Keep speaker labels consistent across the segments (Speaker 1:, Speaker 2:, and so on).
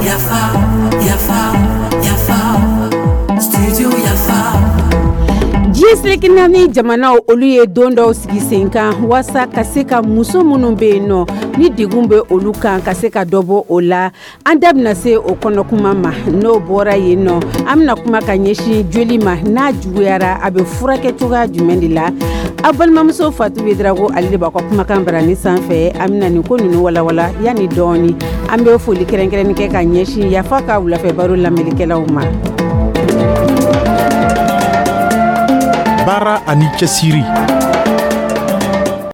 Speaker 1: Yafa, yafa, yafa, studio Yafa.
Speaker 2: Diɲɛ seleke naani jamanaw, olu ye don dɔw sigi sen kan waasa ka se ka muso minnu bɛ yen nɔ ni degun bɛ olu kan, ka se ka dɔ bɔ o la. An da bɛna se o kɔnɔkuma ma. N'o bɔra yen nɔ, an bɛna kuma ka ɲɛsin joli ma. N'a juguyara, a bɛ furakɛ cogoya jumɛn de la? Aw balimamuso Fatu Ouédraogo, ale de b'a ka kumakan barani sanfɛ. An bɛna nin ko ninnu walawala yanni dɔɔni. An bɛ foli kɛrɛnkɛrɛnni kɛ ka ɲɛsin Yafa ka wulafɛ baro lamɛnnikɛlaw ma.
Speaker 3: Baara ani cɛsiri.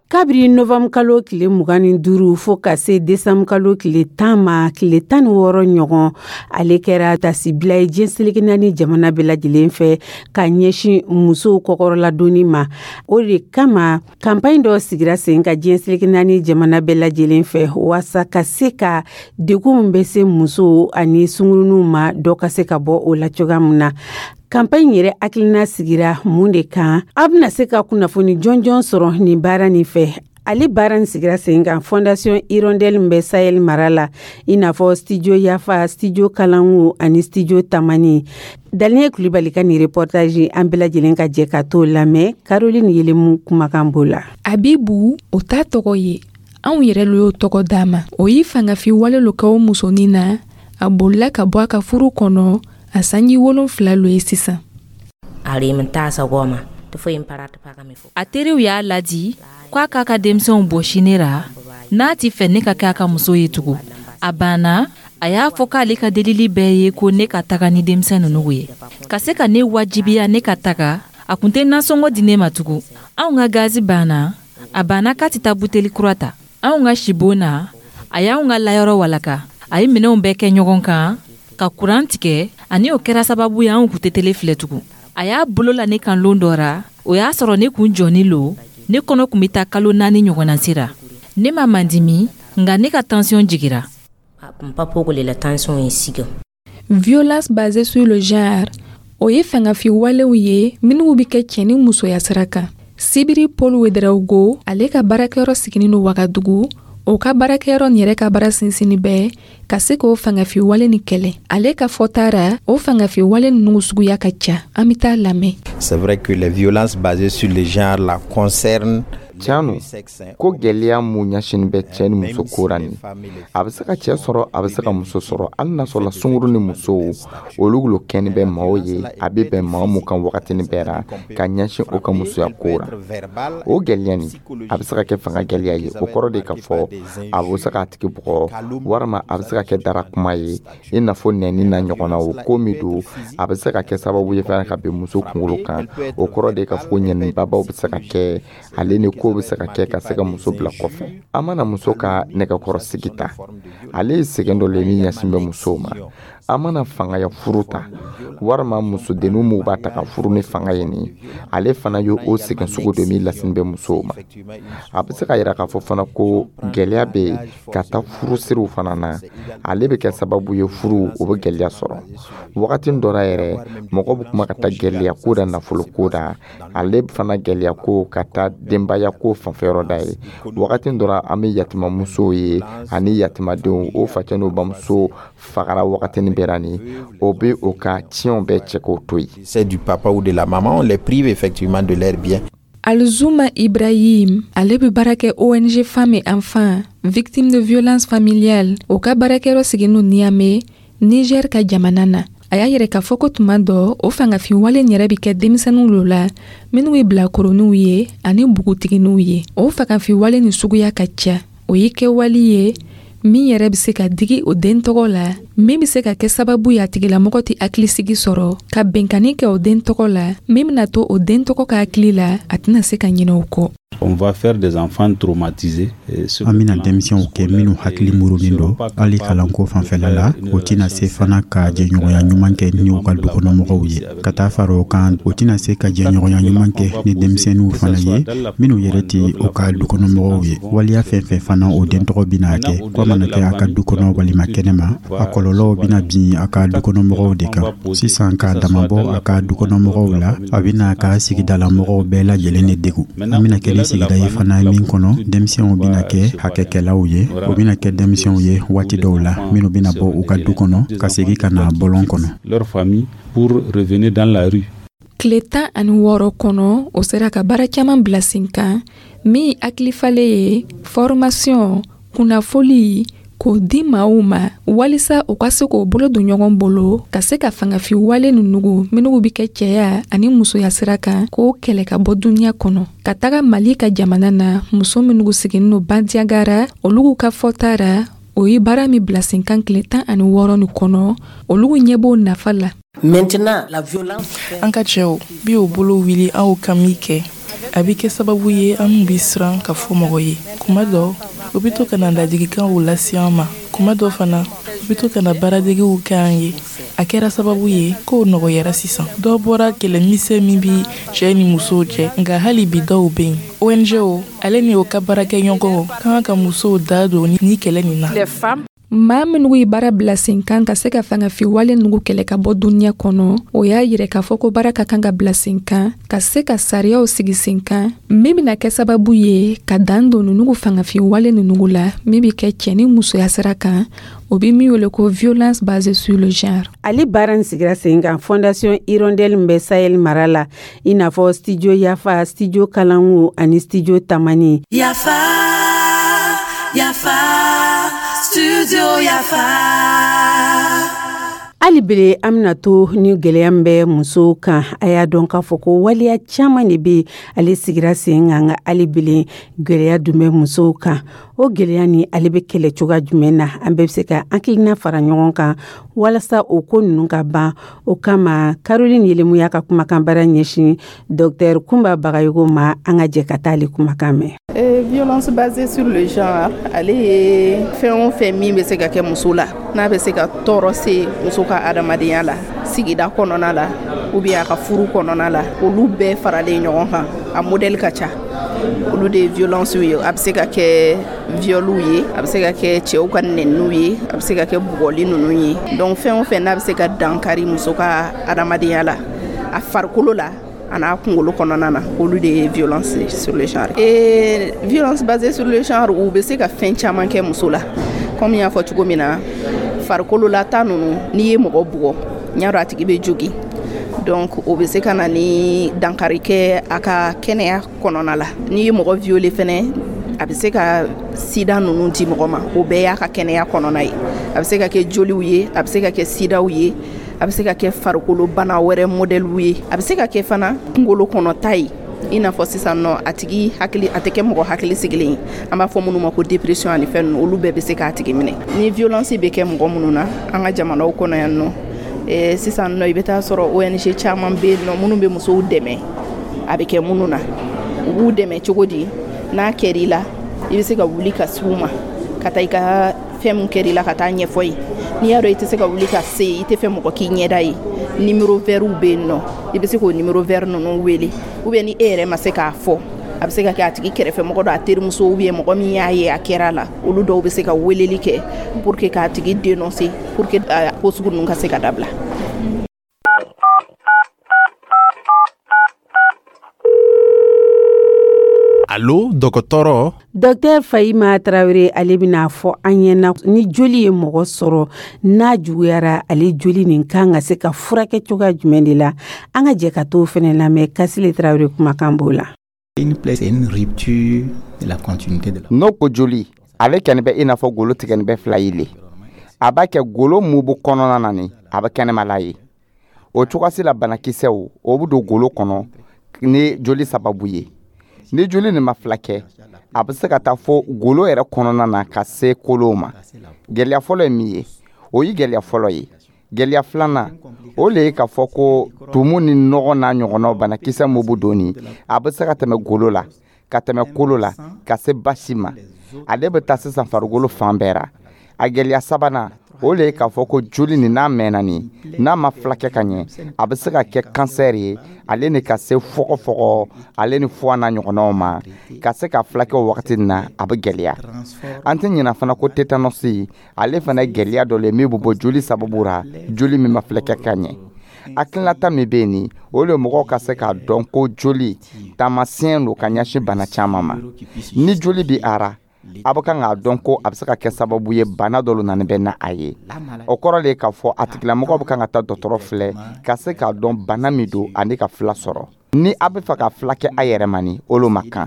Speaker 2: Kabiri novanburu kalo tile 25 fo ka se desanburu kalo tile 10 ma, tile 16 ɲɔgɔn, ale kɛra tasibila ye diɲɛ seleke naani jamana bɛɛ lajɛlen fɛ ka ɲɛsin musow kɔkɔrɔladonni ma. O de kama, kanpaɲi dɔ sigira sen ka diɲɛ seleke naani jamana bɛɛ lajɛlen fɛ waasa ka se ka degun min bɛ se musow ani sungurunw ma, dɔ ka se ka bɔ o la cogoya min na. Kanpaɲi yɛrɛ hakilina sigira mun de kan? Aw bɛna se ka kunnafoni jɔnjɔn sɔrɔ nin baara nin fɛ. Ale baara nin sigira sen kan Fondation Hirondelle min bɛ Sahel mara la, i n'a fɔ Studio Yafa, Studio Kalangu ani Studio Tamani. Daniel Kulibali ka nin reportage, an bɛɛ lajɛlen ka jɛ ka t'o lamɛn. Caroline Yelemu kumakan b'o la.
Speaker 4: Abibu, o t'a tɔgɔ ye, anw yɛrɛ lo y'o tɔgɔ d'a ma. O ye fangafin wale lo kɛ o musonin na. A bolila ka bɔ a ka furu kɔnɔ a sanji 7 lo ye sisan.
Speaker 5: A teriw y'a ladi k'a k'a ka denmisɛnw bɔsi ne ra n'a ti fɛ ne ka kɛ a ka muso ye tugun. A banna. A y'a fɔ k'ale ka delili bɛɛ ye ko ne ka taga ni denmisɛn ninnu ye. Ka se ka ne wajibiya ne ka taga, a kun tɛ nasɔngɔ di ne ma tugun. Anw ka gazi banna, a banna k'a tɛ taa buteli kura ta. Anw ka sibon na, a y'anw ka layɔrɔ walaka. A ye minɛnw bɛɛ kɛ ɲɔgɔn kan ka kuran tigɛ, ani o kɛra sababu ye anw kun tɛ tele filɛ tugun. A y'a bolo la ne kan lon dɔ ra, o y'a sɔrɔ ne kun jɔni lo. Ne kɔnɔ kun bɛ taa kalo 4 ɲɔgɔnna sira. Ne ma mandimi, nka ne ka tansiyɔn jigira.
Speaker 4: Violence basée sur le genre, o ye fangafin walew ye minnu bɛ kɛ cɛ ni musoya sira kan. Sibiri Paul Ouédraogo, ale ka baarakɛyɔrɔ siginin don Wagadugu. O ka baarakɛyɔrɔ nin yɛrɛ ka baara sinsinni bɛɛ ka se k'o fangafin wale ni kɛlɛ. Ale ka fɔta ra, o fangafin wale ninnu suguya ka ca. An bɛ taa lamɛn.
Speaker 6: C'est vrai que les violences basées sur le genre la concernent.
Speaker 7: Tiɲɛ no ko gwɛlɛya mun ɲɛsinin bɛ cɛɛ ni muso ko ra nin, a bɛ se ka cɛɛ sɔrɔ, a bɛ se ka muso sɔrɔ, hali n'a sɔrɔla sunguru ni musow olu lo kɛni bɛ maaw ye. A bɛ bɛn maa mun kan wagatini bɛɛ ra ka ɲɛsin o ka musoya ko ra, o gwɛlɛya nin, a bɛ se ka kɛ fanga gwɛlɛya ye. O kɔrɔ de ka fɔ a bɛ se k'a tigi bugɔ, walima a bɛ se ka kɛ dara kuma ye, i n'a fɔ nɛni na ɲɔgɔnna. O ko min don, a bɛ se ka kɛ sababu ye fana ka bin muso kunkolo kan. O kɔrɔ de ka fɔ ko ɲɛnibabaw bɛ se ka kɛ ale ni ko bɛ se ka kɛ ka se ka muso bila kɔfɛ. An mana muso ka nɛgɛkɔrɔsigi ta, ale ye sɛgɛn dɔ le min ɲɛsin bɛ musow ma. An mana fangaya furu ta, walima musodenninw minnu b'a ta ka furu ni fanga ye nin, ale fana ye o sɛgɛn sugu dɔ min lasini bɛ musow ma. A bɛ se ka yira k'a fɔ fana ko gɛlɛya bɛ yen ka taa furusiriw fana na. Ale bɛ kɛ sababu ye furu o bɛ gɛlɛya sɔrɔ wagati dɔ la yɛrɛ. Mɔgɔ bɛ kuma ka taa gɛlɛya ko da, nafolo ko da, ale fana gɛlɛya ko ka taa denbaya ko fanfɛyɔrɔ da ye. Wagati dɔ la, an bɛ yatimamusow ye ani yatimadenw, o facɛ n'o bamuso fagara wagatinin bɛɛ la nin, o bɛ o ka tiɲɛw bɛɛ cɛ k'o to yen.
Speaker 6: C'est du papa ou de la maman, on les prive effectivement de leurs biens.
Speaker 4: Alzuma Ibrahim, ale bɛ baara kɛ ONG Femmes et Enfants Victimes de Violences Familiales. O ka baarakɛyɔrɔ siginin don Niamey, Niger ka jamana na. A y'a yɛrɛ k'a fɔ ko tuma dɔ, o fangafin wale yɛrɛ bɛ kɛ denmisɛnninw lo la minnu ye bilakoroninw ye ani npogotigininw ye. O fangafin wale nin suguya ka ca. O ye kɛwale ye min yɛrɛ bɛ se ka digi o den tɔgɔ la, min bɛ se ka kɛ sababu ye a tigilamɔgɔ tɛ hakilisigi sɔrɔ, ka bɛnkanni kɛ o den tɔgɔ la min bɛna to o den tɔgɔ ka hakili la, a tɛna se ka ɲinɛ o kɔ.
Speaker 8: On va faire des enfants traumatisés.
Speaker 9: An bɛna denmisɛnw kɛ minnu hakili murunin don hali kalanko fanfɛla la. O tɛna se fana ka jɛɲɔgɔnya ɲuman kɛ ni u ka dukɔnɔmɔgɔw ye. Ka taa fara o kan, o tɛna se ka jɛɲɔgɔnya ɲuman kɛ ni denmisɛnninw fana ye minnu yɛrɛ tɛ u ka dukɔnɔmɔgɔw ye. Waleya fɛn fɛn fana o den tɔgɔ bɛna kɛ, ko a mana kɛ a ka du kɔnɔ walima kɛnɛma, a kɔlɔlɔ. kɔlɔlɔw bɛna bin a ka dukɔnɔmɔgɔw de kan. Sisan, k'a damabɔ a ka dukɔnɔmɔgɔw la, a bɛna a ka sigidalamɔgɔw bɛɛ lajɛlen de degun. An bɛna kɛ ni sigida ye fana min kɔnɔ, denmisɛnw bɛna kɛ hakɛkɛlaw ye. O bɛna kɛ denmisɛnw ye waati dɔw la minnu bɛna bɔ u ka du kɔnɔ ka segin ka na bɔlɔn kɔnɔ.
Speaker 8: Leur famille pour revenir dans la rue.
Speaker 4: Tile 16 kɔnɔ, o sera ka baara caman bila sen kan min hakilifalen ye formation, kunnafoli k'o di maaw ma walisa u ka se k'o bolo don ɲɔgɔn bolo ka se ka fangafin wale ninnu minnu bɛ kɛ cɛya ani musoya sira kan, k'o kɛlɛ ka bɔ duniɲa kɔnɔ. Ka taga Mali ka jamana na, muso minnu sigilen don Bandiagara, olu ka fɔta ra, o ye baara min bila sen kan tile 16 nin kɔnɔ, olu ɲɛ b'o nafa la.
Speaker 3: An ka cɛw bi o bolo wuli aw ka min kɛ, a bɛ kɛ sababu ye an bɛ siran ka fɔ mɔgɔ ye. Kuma dɔ, u bɛ to ka na ladilikanw lase an ma. Kuma dɔ fana, u bɛ to ka na baaradegew kɛ an ye. A kɛra sababu ye k'o nɔgɔyara sisan. Dɔ bɔra kɛlɛmisɛn min bi cɛ ni musow cɛ, nka hali bi dɔw bɛ yen. ONG ale ni o ka baarakɛɲɔgɔnw ka kan ka musow da don ni kɛlɛ nin na.
Speaker 4: Maa minnu ye baara bila sen kan ka se ka fangafin wale ninnu kɛlɛ ka bɔ duniɲa kɔnɔ, o y'a yira k'a fɔ ko baara ka kan ka bila sen kan ka se ka sariyaw sigi sen kan min bɛna kɛ sababu ye ka dan don ninnu fangafin wale ninnu la min bɛ kɛ cɛ ni musoya sira kan, o bɛ min wele ko violence basée sur le genre.
Speaker 2: Ale baara in sigira sen kan Fondation Hirondelle min bɛ Sahel mara la, i n'a fɔ Studio Yafa, Studio Kalangu ani Studio Tamani.
Speaker 1: Yafa, Yafa, Studio Yafa.
Speaker 2: Hali bele, an bɛna to ni gɛlɛya min bɛ musow kan. A y'a dɔn k'a fɔ ko waleya caman de bɛ ale sigira sen kan, nka hali bele gɛlɛya dun bɛ musow kan. O gɛlɛya ni ale bɛ kɛlɛ cogoya jumɛn na? An bɛɛ bɛ se ka hakilina fara ɲɔgɔn kan walasa o ko ninnu ka ban. O kama, Caroline Yelemu y'a ka kumakan baara ɲɛsin Docteur Kunba Bagayogo ma. An ka jɛ ka taa ale kumakan mɛn.
Speaker 10: Violence basée sur le genre, ale ye fɛn o fɛn min bɛ se ka kɛ muso la, n'a bɛ se ka tɔɔrɔ se muso ka adamadenya la, sigida kɔnɔna la ou bien a ka furu kɔnɔna la, olu bɛɛ faralen ɲɔgɔn kan, a modèle ka ca, olu de ye violence ye. A bɛ se ka kɛ viol ye, a bɛ se ka kɛ cɛw ka nɛniw ye, a bɛ se ka kɛ bugɔli ninnu ye. Donc fɛn o fɛn n'a bɛ se ka dankari muso ka adamadenya la, a farikolo la a n'a kunkolo kɔnɔna na, olu de ye violence sur le genre. Et violence basée sur le genre, u bɛ se ka fɛn caman kɛ muso la. Comme n y'a fɔ cogo min na, farikolo la ta ninnu, n'i ye mɔgɔ bugɔ, n y'a dɔn a tigi bɛ jogin, donc o bɛ se ka na ni dankari kɛ a ka kɛnɛya kɔnɔna la. N'i ye mɔgɔ violer fɛnɛ, a bɛ se ka sida ninnu di mɔgɔ ma. O bɛɛ y'a ka kɛnɛya kɔnɔna ye. A bɛ se ka kɛ joliw ye, a bɛ se ka kɛ sidaw ye, a bɛ se ka kɛ farikolo bana wɛrɛ modèlew ye, a bɛ se ka kɛ fana kunkolo kɔnɔta ye, i n'a fɔ sisan nɔ a tigi hakili a tɛ kɛ mɔgɔ hakili sigilen ye, an b'a fɔ minnu ma ko dépression ani fɛn ninnu, olu bɛɛ bɛ se k'a tigi minɛ. Ni violence bɛ kɛ mɔgɔ minnu na an ka jamanaw kɔnɔ yan nɔ, sisan nɔ i bɛ taa sɔrɔ ONG caman bɛ yen nɔ minnu bɛ musow dɛmɛ. A bɛ kɛ minnu na, u b'u dɛmɛ cogo di? N'a kɛr'i la, i bɛ se ka wuli ka s'u ma ka taa i ka fɛn min kɛr'i la ka taa ɲɛfɔ ye. N'i y'a dɔn i tɛ se ka wuli ka se, i tɛ fɛ mɔgɔ k'i ɲɛda ye, numéro vert bɛ yen nɔ, i bɛ se k'o numéro vert ninnu wele. Ou bien ni e yɛrɛ ma se k'a fɔ, a bɛ se ka kɛ a tigi kɛrɛfɛ mɔgɔ dɔ, a terimuso ou bien mɔgɔ min y'a ye a kɛra la, olu dɔw bɛ se ka weleli kɛ pour que k'a tigi dénoncer, pour que ko sugu ninnu ka se ka dabila.
Speaker 6: Allo, dɔgɔtɔrɔ.
Speaker 2: Docteur Fahima Tarawele, ale bɛna fɔ an ɲɛna ni joli ye mɔgɔ sɔrɔ, n'a juguyara, ale joli nin kan ka se ka furakɛ cogoya jumɛn de la. An ka jɛ ka t'o fɛnɛ lamɛn. Kasile Tarawele kumakan b'o la.
Speaker 11: Une plaie, c'est une rupture de la continuité de la.
Speaker 7: N'o ko joli, ale kɛni bɛ i n'a fɔ golo tigɛni bɛ fila ye le. A b'a kɛ golo mun bɛ kɔnɔna na ni a bɛ kɛnɛmala ye. O cogoyasi la, banakisɛw o bɛ don golo kɔnɔ ni joli sababu ye. Ni joli nin ma fila kɛ, a bɛ se ka taa fo golo yɛrɛ kɔnɔna na ka se kolow ma. Gɛlɛya fɔlɔ ye min ye, o ye gɛlɛya fɔlɔ ye. Gɛlɛya filanan, o le ye k'a fɔ ko tumu ni nɔgɔ n'a ɲɔgɔnnaw, banakisɛ mun bɛ don nin, a bɛ se ka tɛmɛ golo la, ka tɛmɛ kolo la, ka se basi ma. Ale bɛ taa sisan farikolo fan bɛɛ ra. A gɛlɛya sabanan, O le ye k'a fɔ ko joli nin, n'a mɛnna nin, n'a ma filakɛ ka ɲɛ, a bɛ se ka kɛ kansɛri ye, ale ni ka se fɔgɔfɔgɔ, ale ni foie n'a ɲɔgɔnnaw ma. Ka se ka filakɛ o wagati nin na, a bɛ gɛlɛya. An tɛ ɲina fana ko tétanos, ale fana ye gɛlɛya dɔ le min bɛ bɔ joli sababu ra, joli min ma filakɛ ka ɲɛ. Hakilinata min bɛ yen nin, o le mɔgɔw ka se k'a dɔn ko joli taamasiyɛn don ka ɲɛsin bana caman ma. Ni joli bi ara, a bɛ kan k'a dɔn ko a bɛ se ka kɛ sababu ye, bana dɔ nana bɛ na a ye. O kɔrɔ de ye k'a fɔ a tigilamɔgɔ bɛ kan ka taa dɔgɔtɔrɔ filɛ ka se k'a dɔn bana min don ani ka fila sɔrɔ. Ni a bɛ fɛ ka fila kɛ a yɛrɛ ma, ni olu ma kan,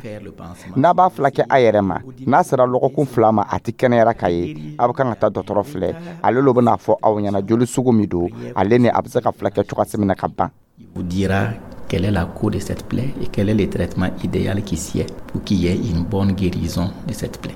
Speaker 7: n'a b'a fila kɛ a yɛrɛ ma, n'a sera lɔgɔkun 2 ma, a tɛ kɛnɛyara ka ye, a bɛ kan ka taa dɔgɔtɔrɔ filɛ. Ale lo bɛna fɔ aw ɲɛna joli sugu min don, ale ni a bɛ se ka fila kɛ cogoya min na ka ban.
Speaker 11: Vous dira quelle est la cause de cette plaie et quel est le traitement idéal qui sied pour qu'il y ait une bonne guérison de cette plaie.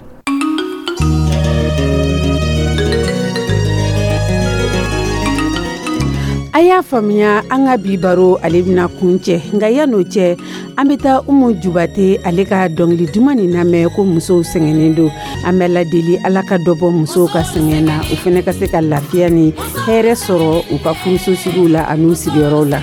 Speaker 2: A y'a faamuya, an ka bi baro, ale bɛna kun cɛ, nka yan'o cɛ, an bɛ taa Umu Jubate, ale ka dɔnkili duman nin lamɛn ko musow sɛgɛnnen don. An bɛ ladeli, Ala ka dɔ bɔ musow ka sɛgɛn na, u fana ka se ka lafiya ni hɛrɛ sɔrɔ u ka furusosigiw la an'u sigiyɔrɔw la.